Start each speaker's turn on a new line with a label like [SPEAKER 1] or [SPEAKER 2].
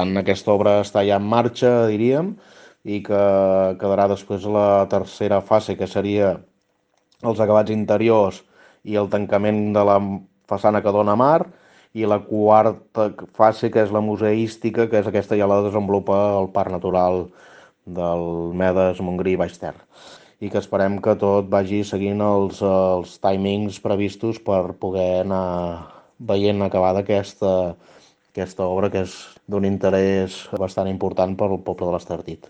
[SPEAKER 1] Aquesta obra està ja en marxa, diríem, i que quedarà després la tercera fase, que seria els acabats interiors i el tancament de la façana que dona a mar, i la quarta fase, que és la museística, que és aquesta, ja la desenvolupa el Parc Natural del Medes, Montgrí i Baix Ter. I que esperem que tot vagi seguint els timings previstos per poder anar veient acabada aquesta obra, que és d'un interès bastant important per al poble de l'Estartit.